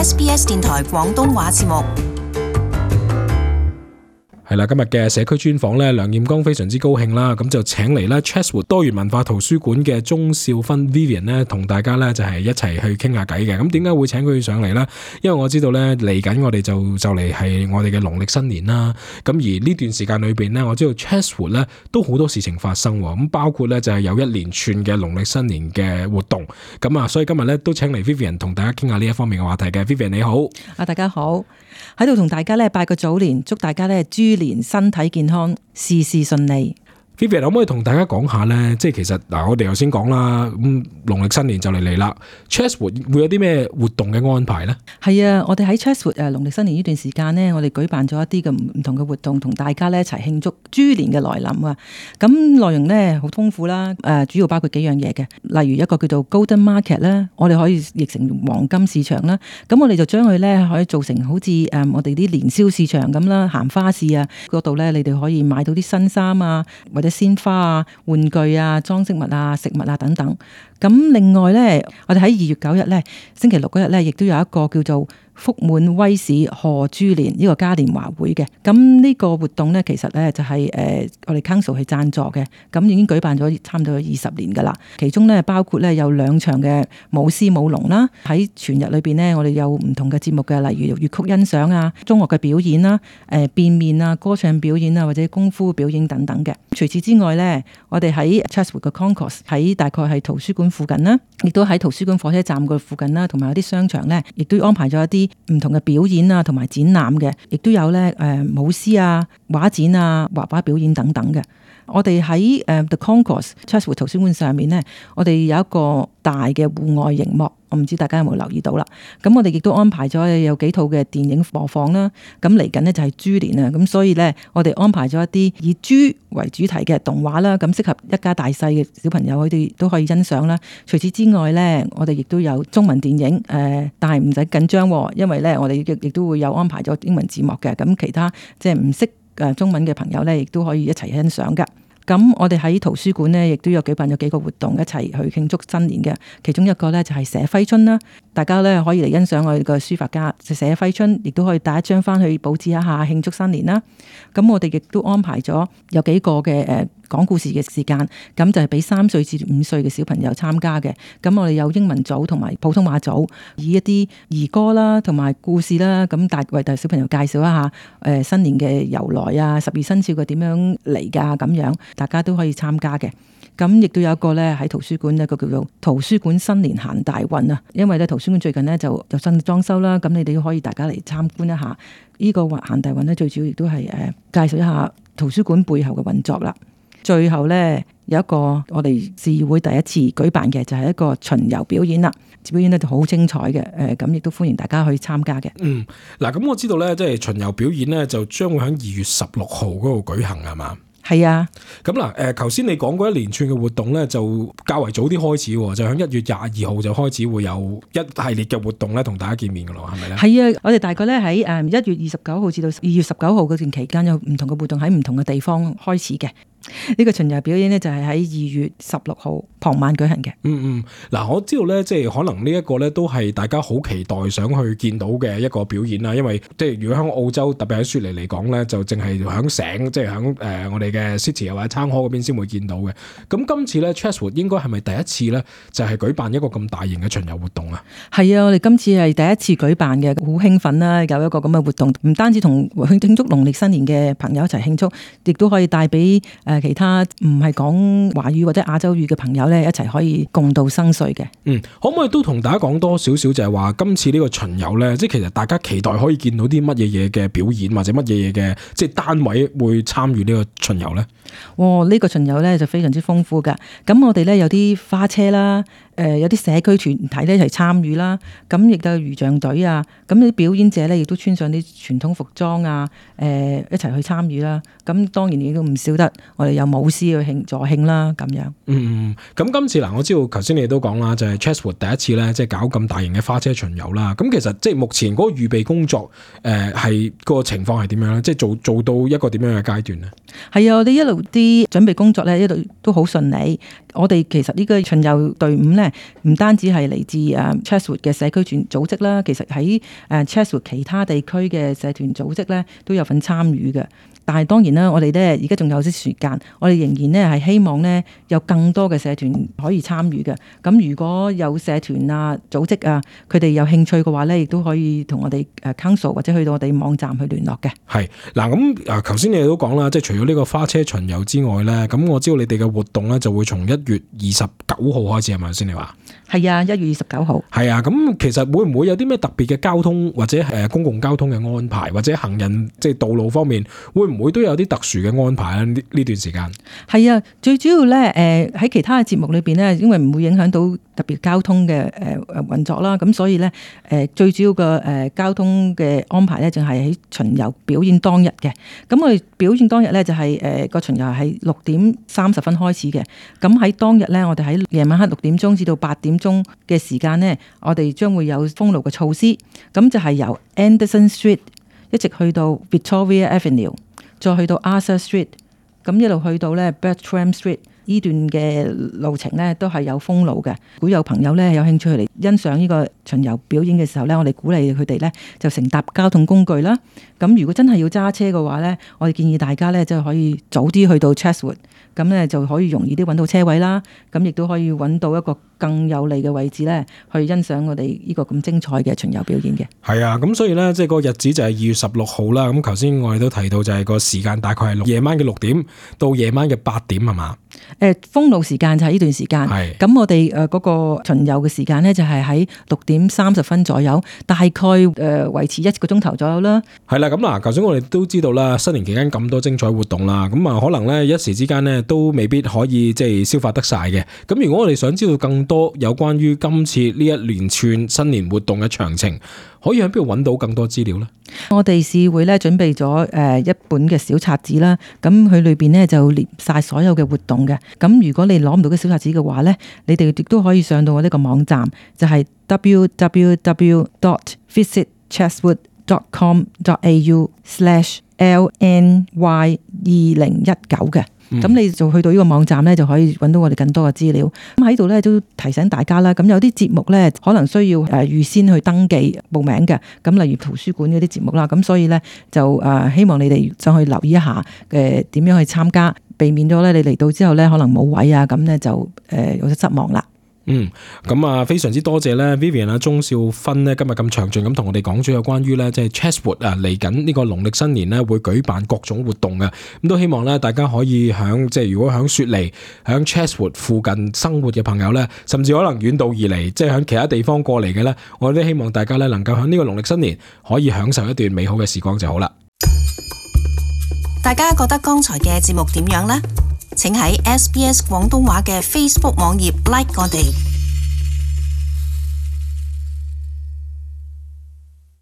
SBS 電台廣東話節目。係啦，今日嘅社區專訪咧，梁艷剛非常之高興啦，咁就請嚟咧 Chatswood 多元文化圖書館嘅鍾少芬 Vivian 咧，同大家咧就係一齊去傾下偈嘅。咁點解會請佢上嚟咧？因為我知道咧嚟緊我哋就嚟係我哋嘅農曆新年啦。咁而呢段時間裏邊咧，我知道 Chatswood 咧都好多事情發生，咁包括咧就係有一連串嘅農曆新年嘅活動。咁啊，所以今日咧都請嚟 Vivian 同大家傾下呢一方面嘅話題嘅。Vivian 你好，大家好，喺度同大家咧拜個早年，祝大家咧豬年身體健康，事事順利。Vivian 可唔可以同大家講下咧？即係其實嗱，我哋頭先講啦，咁農曆新年就嚟啦 ，Chatswood 會有啲咩活動嘅安排咧？係啊，我哋喺 Chatswood 農曆新年呢段時間呢，我哋舉辦咗一啲嘅唔同嘅活動，同大家咧一齊慶祝豬年嘅來臨啊！咁內容咧好豐富啦，主要包括幾樣嘢嘅，例如一個叫做 Golden Market 咧，我哋可以譯成黃金市場啦。咁我哋就將佢咧可以做成好似我哋啲年宵市場咁啦，行花市啊嗰度咧，你哋可以買到啲新衫啊，或者鮮花啊、玩具啊、裝飾物啊、食物啊等等。咁另外咧，我哋喺2月9日咧，星期六嗰日咧，亦都有一個叫做福滿威市賀豬年呢個嘉年華會嘅。咁呢個活動咧，其實咧就係我哋 Council 去贊助嘅。咁已經舉辦咗差唔多20年噶啦。其中咧包括咧有2場嘅舞獅舞龍啦。喺全日裏邊咧，我哋有唔同嘅節目嘅，例如粵曲欣賞啊、中樂嘅表演啦、變面啊、歌唱表演啊，或者功夫表演等等嘅。除此之外咧，我哋喺 Chatswood 嘅 Concourse 喺大概係圖書館附近啦，亦都喺圖書館火車站個附近啦，同埋有啲商場咧，亦都安排咗一啲唔同嘅表演啊，同埋展覽嘅，亦都有咧舞獅啊、畫展啊、畫畫表演等等嘅。我哋喺The Concourse Chatswood 圖書館上面咧，我哋有一個大嘅戶外熒幕，我唔知大家有冇留意到啦。咁我哋亦都安排咗有幾套嘅電影播放啦。咁嚟緊呢就係豬年啊，咁所以咧我哋安排咗一啲以豬為主題嘅動畫啦，咁適合一家大細嘅小朋友佢哋都可以欣賞啦。除此之外咧，我哋亦都有中文電影，但係唔使緊張，因為咧我哋亦都會有安排咗英文字幕嘅。咁其他即係唔識中文嘅朋友咧，亦都可以一齊欣賞噶。咁我哋喺圖書館呢，亦都有舉辦咗幾個活動一齊去慶祝新年嘅。其中一個呢，就係寫揮春啦，大家呢可以嚟欣賞我哋個書法家寫揮春，亦都可以帶一張翻去佈置一下慶祝新年啦。咁我哋亦都安排咗有幾個嘅講故事嘅時間，咁就係俾3歲至5歲嘅小朋友參加嘅。咁我哋有英文組同埋普通話組，以一啲兒歌啦同埋故事啦，咁為大小朋友介紹一下新年嘅由來啊，12生肖嘅點樣嚟㗎咁樣，大家都可以參加嘅。咁亦都有一個咧喺圖書館一個叫做圖書館新年行大運啊，因為咧圖書館最近咧就新裝修啦，咁你哋都可以大家嚟參觀一下呢個行大運咧，最主要亦都係介紹一下圖書館背後嘅運作啦。最後咧有一個我哋市議會第一次舉辦嘅就係一個巡遊表演啦，表演咧就好精彩嘅，咁亦都歡迎大家去參加嘅。嗱，咁我知道咧，即係巡遊表演咧就將會喺2月16號嗰度舉行係嘛？係啊，咁嗱，頭先你講過一連串嘅活動咧，就較為早啲開始，就喺1月22號就開始會有一系列嘅活動咧，同大家見面噶咯，係咪咧？係啊，我哋大概咧喺1月29號至到2月19號嗰段期間有唔同嘅活動喺唔同嘅地方開始嘅。呢個巡遊表演呢，就係喺2月16號傍晚舉行嘅。嗱，我知道咧，即係可能呢一個咧都係大家好期待想去見到嘅一個表演啦。因為即係如果喺澳洲，特別喺雪梨嚟講咧，就淨係響省，即係響我哋嘅 City 又或者 Town Hall 嗰邊先會見到嘅。咁今次咧 Chatswood 應該係咪第一次咧，就係舉辦一個咁大型嘅巡遊活動啊？係啊，我哋今次係第一次舉辦嘅，好興奮啦！有一個咁嘅活動，唔單止同慶祝農曆新年嘅朋友一齊慶祝，亦都可以帶俾其他唔係講華語或者亞洲語嘅朋友咧，一齊可以共度生歲嘅。可唔可以都同大家講多少少，就係話今次呢個巡遊咧，即係其實大家期待可以見到啲乜嘢嘢嘅表演，或者乜嘢嘢嘅即係單位會參與呢個巡遊咧？呢個巡遊咧就非常之豐富噶。咁我哋咧有啲花車啦。有啲社區團體咧一齊參與啦，咁亦都有魚象隊啊，咁啲表演者咧亦都穿上啲傳統服裝啊，一齊去參與啦。咁當然亦都唔少得我哋有舞獅去助慶啦，咁樣。咁今次嗱，我知道頭先你都講啦，就係 Chatswood 第一次咧，即係搞咁大型嘅花車巡遊啦。咁其實即係目前嗰個預備工作，係個情況係點樣咧？即係做到一個點樣嘅階段咧？係啊，我哋一路啲準備工作咧，一路都好順利。我哋其實呢個巡遊隊伍咧，唔單止係嚟自Chatswood 嘅社區組織啦，其實喺Chatswood 其他地區嘅社團組織咧都有份參與嘅。但係當然啦，我哋咧而家仲有啲時間，我哋仍然咧係希望咧有更多嘅社團可以參與嘅。咁如果有社團啊、組織啊，佢哋有興趣嘅話咧，亦都可以同我哋council 或者去到我哋網站去聯絡嘅。係嗱，咁頭先你哋都講啦，即係除咗呢個花車巡遊之外咧，咁我知道你哋嘅活動咧就會從1月29號開始係咪先？你話係啊，1月29號。係啊，咁其實會唔會有啲咩特別嘅交通或者公共交通嘅安排，或者行人即係道路方面，會唔會都有啲特殊嘅安排咧？呢段時間係啊，最主要咧喺其他嘅節目裏邊咧，因為唔會影響到特別交通嘅運作啦，咁所以咧最主要嘅交通嘅安排咧，就係喺巡遊表演當日嘅。咁我哋表演當日咧就係個巡遊係6點30分開始嘅。咁喺當日咧，我哋喺夜晚黑6點鐘至到8點鐘嘅時間咧，我哋將會有封路嘅措施。咁就係由 Anderson Street 一直去到 Victoria Avenue， 再去到 Arthur Street， 咁一路去到咧 Bertram Street。呢段嘅路程咧都係有封路嘅。如果有朋友咧有興趣嚟欣賞呢個巡遊表演嘅時候咧，我哋鼓勵佢哋咧就乘搭交通工具啦。咁如果真係要揸車嘅話咧，我哋建議大家咧就可以早啲去到 Chatswood， 咁咧就可以容易啲揾到車位啦。咁亦都可以揾到一個更有利嘅位置咧，去欣賞我哋呢個咁精彩嘅巡遊表演嘅。係啊，咁所以咧即係個日子就係2月16號啦。咁頭先我哋都提到就係個時間大概係夜晚嘅6點到夜晚嘅8點係嘛？封路時間就係呢段時間。咁我哋嗰個巡遊嘅時間咧就係喺6點30分左右，大概維持1個鐘頭左右啦。係啦，咁嗱，頭先我哋都知道啦，新年期間咁多精彩活動啦，咁啊可能咧一時之間咧都未必可以即係消化得晒嘅。咁如果我哋想知道更多有關於今次呢一連串新年活動嘅詳情，可以喺邊度揾到更多資料呢？我哋市會咧準備咗一本嘅小冊子啦，咁佢裏邊咧就列晒所有嘅活動嘅。咁如果你攞唔到嘅小冊子嘅話咧，你哋亦都可以上到我呢個網站，就係 www.visitchatswood.com.au/LNY2019 嘅。咁你就去到呢個網站咧，就可以揾到我哋更多嘅資料。咁喺度咧都提醒大家啦，咁有啲節目咧可能需要預先去登記報名嘅。咁例如圖書館嗰啲節目啦，咁所以咧就希望你哋上去留意一下點樣去參加，避免咗咧你嚟到之後咧可能冇位啊，咁咧就有啲失望啦。咁啊，非常之多謝咧 Vivian 啊，鍾少芬咧今日咁詳盡咁同我哋講咗有關於咧即係 Chatswood 啊嚟緊呢個農曆新年咧會舉辦各種活動嘅，咁都希望咧大家可以響即係如果響雪梨響 Chatswood 附近生活嘅朋友咧，甚至可能遠道而嚟即係響其他地方過嚟嘅咧，我哋都希望大家咧能夠響呢個農曆新年可以享受一段美好嘅時光就好啦。大家覺得剛才嘅節目點樣呢？請喺SBS 廣東話嘅 Facebook 網頁 like 我哋。